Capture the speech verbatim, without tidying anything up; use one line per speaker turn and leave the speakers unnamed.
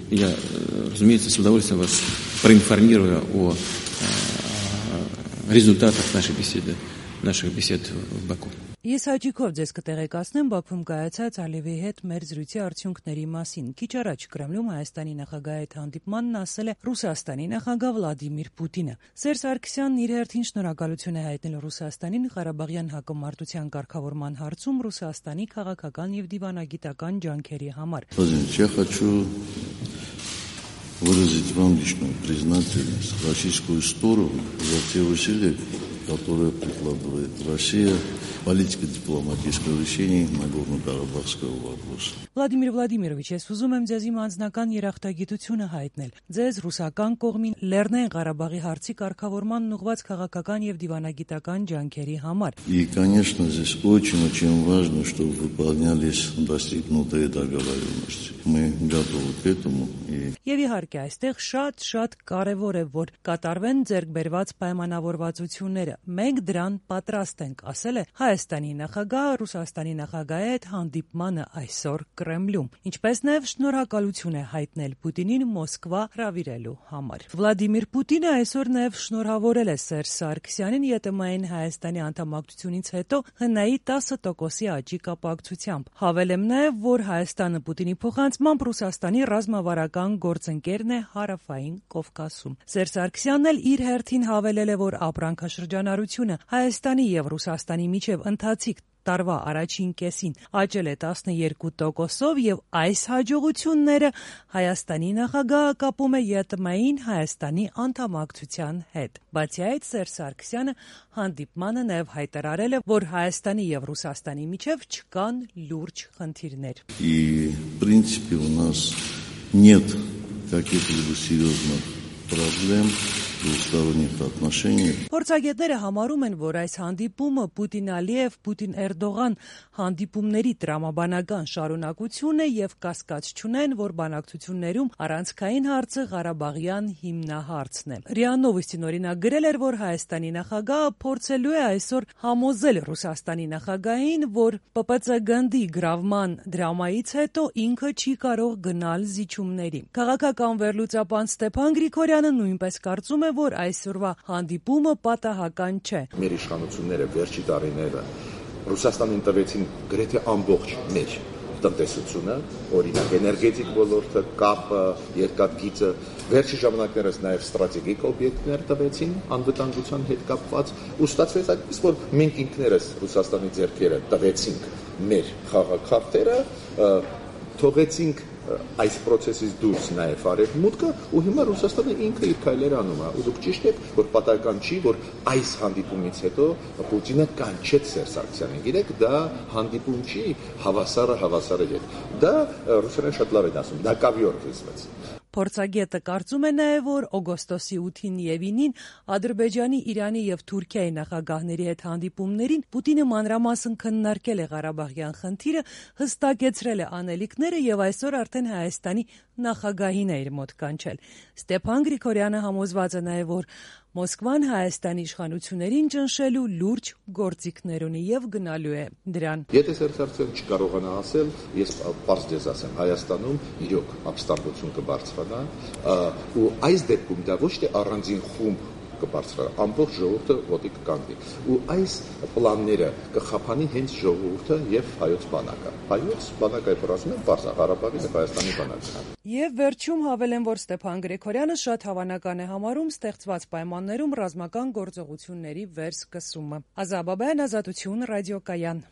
я, разумеется, с удовольствием вас проинформирую о результатах нашей беседы, наших бесед в Баку.
Ես հաճիկով ձեզ կտեղեկացնեմ Բաքվում կայացած Ալիևի հետ մեր զրույցի արդյունքների մասին։ Քիչ առաջ Կրեմլում Հայաստանի նախագահի հետ հանդիպմանն ասել է Ռուսաստանի նախագահ Վլադիմիր Պուտինը։ Սերժ Սարգսյանն իր հերթին շնորհակալություն է հայտնել Ռուսաստանին Ղարաբաղյան հակամարտության կարգավորման հարցում Ռուսաստանի քաղաքական եւ դիվանագիտական ջանքերի համար։
Выразить вам личную признательность российскую сторону за те усилия, которые прикладывает Россия в политико-дипломатическом решении Нагорно-Карабахского вопроса.
Վլադիմիր Վլադիմիրովիչ, ես ուզում եմ ձեզ իմ անձնական երախտագիտությունը հայտնել։ Ձեզ ռուսական կողմին Լեռնային Ղարաբաղի հարցի կարգավորման ուղղված քաղաքական եւ դիվանագիտական ջանքերի համար։
И, конечно, здесь очень-очень важно, чтобы выполнялись достигнутые договоренности. Мы готовы к этому.
Եվ իհարկե այստեղ շատ-շատ կարևոր է, որ կատարվեն ձեռք բերված պայմանավորվածությունները։ Մենք դրան պատրաստ ենք, ասել է Հայաստանի նախագահը Ռուսաստանի նախագահի հետ հանդիպմանը այսօր Կրեմլում, ինչպես նաև շնորհակալություն է հայտնել Պուտինին Մոսկվա հրավիրելու համար։ Վլադիմիր Պուտինը այսօր նաև շնորհավորել է Սերժ Սարգսյանին ԵՏՄ-ին Հայաստանի անդամակցությունից հետո ՀՆ-ի տասը տոկոսի աճի կապակցությամբ։ Հավելեմ նաև, որ Հայաստանը Պուտինի փոխանցմամբ Ռուսաստանի ռազմավարական գործընկերն է Հարավային Կովկասում։ Սերժ Սարգսյանն էլ իր հերթին հավելել է, որ ապրանքաշրջանառությունը Հայաստանի եւ Ռուսաստանի միջև ընթացիկ տարվա առաջին կեսին աճել է տասնյոթ տոկոսով եւ այս հաջողությունները Հայաստանի նախագահը կապում է ԵՏՄ-ին Հայաստանի անդամակցության հետ։ Բացի այդ, Սերժ Սարգսյանը հանդիպմանը նաև հայտարարել է, որ Հայաստանի եւ Ռուսաստանի միջև չկան լուրջ խնդիրներ։
И, в принципе, у нас нет каких-либо серьезных проблем в двусторонних отношениях.
Փորձագետները համարում են, որ այս հանդիպումը Պուտին-Ալիև, Պուտին-Էրդողան հանդիպումների տրամաբանական շարունակություն է եւ կասկած չունեն, որ բանակցություններում առանցքային հարցը Ղարաբաղյան հիմնահարցն է։ ՌԻԱ Նովոստին օրինակ գրել էր, որ Հայաստանի նախագահը փորձելու է այսօր համոզել Ռուսաստանի նախագահին, որ ՊՊՑ գնդի գրավման դրամայից հետո ինքը չի կարող գնալ զիջումների։ Քաղաքական վերլուծաբան Ստեփան Գրիգորյանը նույնպես կարծում է, որ այսօրվա հանդիպումը պատահական չէ։
Մեր իշխանությունները վերջի տարիները Ռուսաստանին տվեցին գրեթե ամբողջ մեր տնտեսությունը, օրինակ էներգետիկ ոլորտը, կապը, երկաթգիծը, վերջի ժամանակներս նաև ստրատեգիկ օբյեկտներ տվեցին անվտանգության հետ կապված, ու ստացվեց այդպես, որ մենք ինքներս Ռուսաստանի ձեռքերը տվեցինք մեր խաղաքարտերը, թողեցինք այս process-ից դուրս նաև արևմուտքը, ու հիմա Ռուսաստանը ինքը իր քայլերը անում է։ Ու դուք ճիշտ եք, որ պատահական չի, որ այս հանդիպումից հետո Պուտինը կանչեց Սերժ Սարգսյանին։ Գիտեք, դա հանդիպում չի հավասարը հավասարի հետ։ Դա ռուսերեն շատ լավ են ասում, դա կավիոր կիսվեց։
Փորձագետը կարծում է նաև, որ օգոստոսի ութին եւ ինին Ադրբեջանի, Իրանի եւ Թուրքիայի նախագահների հետ հանդիպումներին Պուտինը մանրամասն քննարկել է Ղարաբաղյան խնդիրը, հստակեցրել է անելիքները եւ այսօր արդեն Հայաստանի նախագահին է իր մոտ կանչել։ Ստեփան Գրիգորյանը համոզված է նաև, որ Մոսկվան Հայաստանի իշխանություններին ճնշելու լուրջ գործիքներ ունի եւ գնալու է դրան։
Եթե Սերժ Սարգսյանը չկարողանա ասել, ես պարզ ձեզ ասեմ, Հայաստանում իրոք ապստամբություն կբարձրանա, ու այս դեպքում դա ոչ թե առանձին խումբ կբարձրանա, ամբողջ ժողովուրդը ոտի կկանգնի։ Ու այս պլանները կխափանի հենց ժողովուրդը եւ հայոց բանակը։ Հայոց բանակը ասում են բարձր Ղարաբաղի եւ Հայաստանի բանակը։
Եվ վերջում հավելեմ, որ Ստեփան Գրիգորյանը շատ հավանական է համարում ստեղծված պայմաններում ռազմական գործողությունների վերսկսումը։ Ազա Բաբայան, Ազատություն, ռադիոկայան։